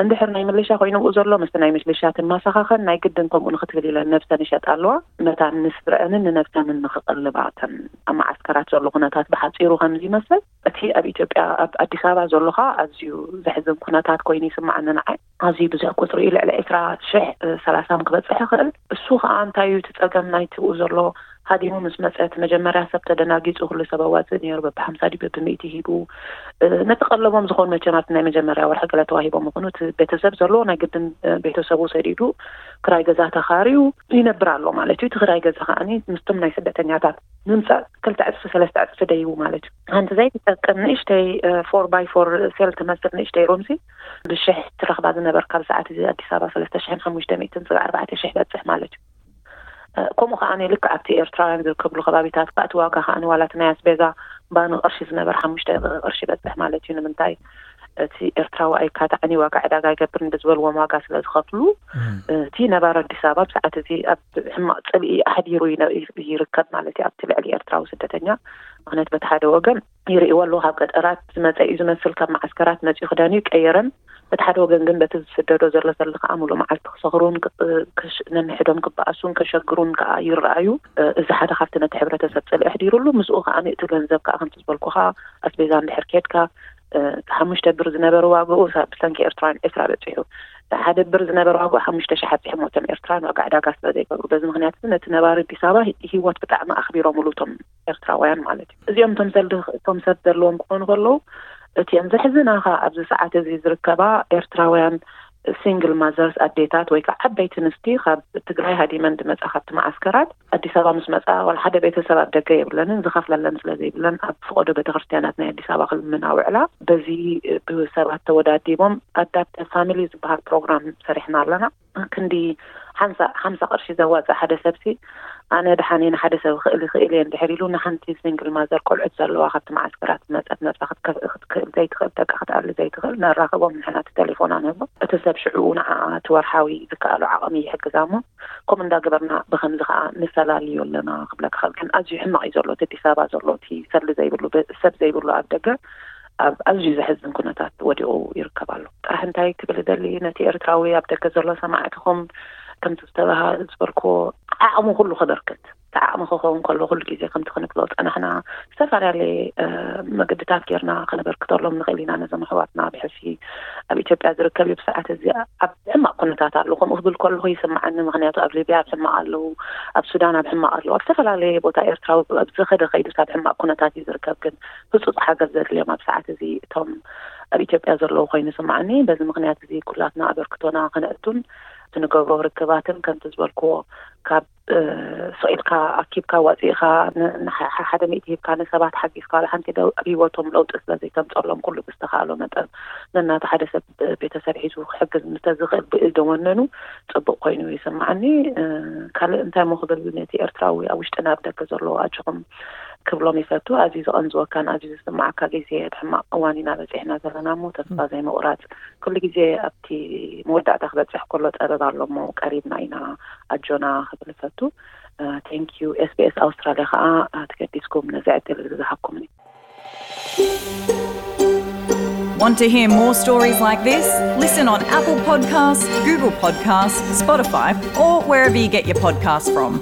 እንድሕር ናይ ምልሻ ኮይኑ ብኡ ዘሎ፣ ምስቲ ናይ ምልሻ ትመሳኻኸን፣ ናይ ግድን ከምኡ ንኽትብል ኢለን ነብሰን ይሸጣ ኣለዋ። መታን ንስድረአንን ንነብሰንን ንኽቕልባ፣ እተን ኣብ መዓስከራት ዘሎ ኩነታት ብሓጺሩ ከምዚ ይመስል። እቲ ኣብ ኢትዮጵያ፣ ኣብ ኣዲስ ኣበባ ዘሎ ኸኣ ኣዝዩ ዘሕዝን ኩነታት ኮይኑ ይስምዓኒ ንዓይ። ኣዝዩ ብዙሕ ቁጽሪ እዩ፣ ልዕሊ ዕስራ ሽሕ፣ እ፣ ሰላሳ ክበጽሕ ይኽእል። እሱ ኸኣ እንታይ እዩ እቲ ጸገም ናይቲ ብኡ ዘሎ ሃዲሙ ምስ መጸ፣ እቲ መጀመርያ ሰብ ተደናጊጹ፣ ኩሉ ሰብ ኣዋጽእ ነይሩ፣ በብሓምሳ ድዩ በብሚእቲ ሂቡ፣ እ፣ ነቲ ቀለቦም ዝኾኑ መቸም ኣብቲ ናይ መጀመርያ ወርሒ ገለ ተዋሂቦም ይኹኑ፣ እቲ ቤተሰብ ዘለዎ ናይ ግድን፣ እ፣ ቤተሰቡ ሰዲዱ ክራይ ገዛ ተኻርዩ ይነብር ኣሎ ማለት እዩ። እቲ ክራይ ገዛ ከኣኒ ምስቶም ናይ ስደተኛታት ምምጻእ ክልተ ዕጽፊ ሰለስተ ዕጽፊ ደይቡ ማለት እዩ። ሓንቲ ዘይትጠቅም ንእሽተይ፣ እ፣ ፎር ባይ ፎር ሴል ትመስል ንእሽተይ ሩምሲ ብሽሕ ትረኽባ ዝነበርካ ብሰዓት እዚ ኣዲስ ኣበባ ሰለስተ ሽሕን ሓሙሽተ ሚእትን ስጋዕ ኣርባዕተ ሽሕ በጽሕ ማለት እዩ። እ፣ ከምኡ ከኣ ልክዕ ኣብቲ ኤርትራውያን ዝርከብሉ ከባቢታት ከኣ እቲ ዋጋ ከኣ ዋላ እቲ ናይ ኣስቤዛ ባኒ ቅርሺ ዝነበር ሓሙሽተ ቅርሺ በጽሕ ማለት እዩ። ንምንታይ? እቲ ኤርትራዊ ኣይካታዕን እዩ፣ ዋጋ ዕዳጋ ኣይገብርን ብዝበልዎም ዋጋ ስለ ዝኸፍሉ፣ እም። እቲ ነባሪ ኣዲስ ኣበባ ብሰዓት እዚ ኣብ ሕማቕ ጽልኢ ኣሕዲሩ ይነ-፣ ይርከብ ማለት እዩ ኣብቲ ልዕሊ ኤርትራዊ ስደተኛ። ምኽንያቱ በቲ ሓደ ወገን ይርእይዎ ኣለዉ፣ ካብ ገጠራት ዝመጸ እዩ ዝመስል፣ ካብ መዓስከራት መጺኡ ክዳኑ ይቀየረን፣ በቲ ሓደ ወገን ግን በቲ ዝስደዶ ዘሎ ሰልዲ ከኣ ሙሉእ መዓልቲ ክሰኽሩን ክ-፣ ክሽ-፣ ነንሕዶም ክበኣሱን ከሸግሩን ከኣ ይረኣዩ። እ፣ እዚ ሓደ ካብቲ ነቲ ሕብረተሰብ ጽልኢ ኣሕዲሩሉ፣ ምስኡ ከኣ እቲ ገንዘብ ከኣ ከምቲ ዝበልኩኻ ኣስቤዛ እንድሕር ኬድካ፣ እ፣ ሓሙሽተ ብር ዝነበረ ዋግኡ ሳ-፣ ብሰንኪ ኤርትራውያን ዕስራ በጺሑ። ሓደ ብር ዝነበረ ዋግኡ ሓሙሽተ ሽሕ ኣብጺሖም እቶም ኤርትራውያን ዋጋ ዕዳጋ ስለ ዘይገብሩ። በዚ ምኽንያት እዚ ነቲ ነባሪ ኣዲስ ኣበባ ሂ-፣ ህይወት ብጣዕሚ ኣኽቢሮምሉ እቶም ኤርትራውያን ማለት እዩ። እዚኦም እቶም ሰልዲ፣ እቶም ሰብ ዘለዎም ክኾኑ ከለዉ፣ እቲአን ዘሕዝናኻ ኣብዚ ሰዓት እዚ ዝርከባ ኤርትራውያን ሲንግል ማዘርስ፣ ኣዴታት ወይ ከዓ ዓበይቲ ኣንስቲ ካብ ትግራይ ሃዲመን ዝመጻ ካብቲ መዓስከራት ኣዲስ ኣበባ ምስ መጻ ዋላ ሓደ ቤተሰብ ኣብ ደገ የብለንን፣ ዝኸፍለለን ስለ ዘይብለን ኣብ ፍቆዶ ቤተክርስትያናት ናይ ኣዲስ ኣበባ ክልምና ውዕላ። በዚ ብሰባት ተወዳዲቦም ኣዳፕተ ፋሚሊ ዝበሃል ፕሮግራም ሰሪሕና ኣለና። ክንዲ ሓምሳ፣ ሓምሳ ቅርሺ ዘዋጽእ ሓደ ሰብሲ፣ ኣነ ደሓን እየ፣ ንሓደ ሰብ ክእል ይኽእል እየ እንድሕር ኢሉ፣ ንሓንቲ ሲንግል ማዘር ቆልዑት ዘለዋ ካብቲ መዓስከራት ዝመጸት ነብሳ ክትከፍእ ክትክእል ዘይትኽእል፣ ደቃ ክትኣሊ ዘይትኽእል፣ ነራኽቦም ንሕና እቲ ቴሌፎና ንህቦ። እቲ ሰብ ሽዑኡ ንዓኣ እቲ ወርሓዊ ዝከኣሎ ዓቕሚ ይሕግዛ እሞ፣ ከምኡ እንዳገበርና ብኸምዚ ኸኣ ንፈላልዮ ኣለና ክብለካ ክእል። ግን ኣዝዩ ሕማቕ እዩ ዘሎ፣ እቲ ኣዲስ ኣበባ ዘሎ፣ እቲ ሰሊ ዘይብሉ፣ ብ-፣ ሰብ ዘይብሉ ኣብ ደገ ኣብ ኣዝዩ ዘሕዝን ኩነታት ወዲቑ ይርከብ ኣሎ። ጥራሕ እንታይ ክብል እደሊ፣ ነቲ ኤርትራዊ ኣብ ደገ ዘሎ ሰማዕትኹም፣ ከምቲ ዝተባሃ-፣ ዝበልክዎ፣ ዓቕሙ ኩሉ ከበርክት፣ እቲ ዓቕሚ ክኸውን ከሎ ኩሉ ግዜ ከምቲ ክንብሎ ዝጸናሕና፣ ዝተፈላለየ፣ እ፣ መገድታት ጌርና ከነበርክተሎም ንኽእል ኢና። ነዞም ኣሕዋትና ብሕልፊ ኣብ ኢትዮጵያ ዝርከብ እዩ። ብሰዓት እዚ ኣብ ሕማቕ ኩነታት ኣሎ። ከምኡ ክብል ከለኹ ይስምዓኒ። ምኽንያቱ ኣብ ሊብያ ኣብ ሕማቕ ኣለዉ፣ ኣብ ሱዳን ኣብ ሕማቕ ኣለዉ፣ ኣብ ዝተፈላለየ ቦታ ኤርትራዊ ኣብ ዝኸደ ከይዱስ ኣብ ሕማቕ ኩነታት እዩ ዝርከብ። ግን ህጹጽ ሓገዝ ዘድልዮም ኣብ ሰዓት እዚ እቶም ኣብ ኢትዮጵያ ዘለዉ ኮይኑ ይስምዓኒ። በዚ ምኽንያት እዚ ኩላትና ኣበርክቶና ከነእቱን እቲ ንገብሮ ርክባትን ከምቲ ዝበልክዎ ካብ፣ እ፣ ስቕ ኢልካ ኣኪብካ ዋጺእካ ን-፣ ንሓ-፣ ሓደ ሚእቲ ሂብካ ንሰባት ሓጊዝካ ዋላ ሓንቲ ደ-፣ ኣብ ህይወቶም ለውጢ ስለ ዘይተምጸሎም ኩሉ ብዝተኻእሎ መጠን ነናቱ ሓደ ሰብ ቤተሰብ ሒዙ ክሕግዝ እንተዝኽእል ብእል ደወነኑ ጽቡቕ ኮይኑ ይስምዓኒ። እ፣ ካልእ እንታይ እሞ ክብል ነቲ ኤርትራዊ ኣብ ውሽጥን ኣብ ደገ ዘሎ ኣጆኹም ክብሎም ይፈቱ። ኣዝዩ ዝቐንዝወካን ኣዝዩ ዝስማዓካ ግዜ፣ ሕማቕ እዋን ኢና በፂሕና ዘለና እሞ ተስፋ ዘይምቑራፅ፣ ኩሉ ግዜ ኣብቲ መወዳእታ ክበፅሕ ከሎ ፀበብ ኣሎ እሞ ቀሪብና ኢና፣ ኣጆና ክብል ይፈቱ። Thank you SBS ኣውስትራልያ ከዓ ተገዲስኩም ነዚ ዕድል እዚ ዝሃብኩምኒ። Want to hear more stories like this? Listen on Apple Podcasts, Google Podcasts, Spotify, or wherever you get your podcasts from.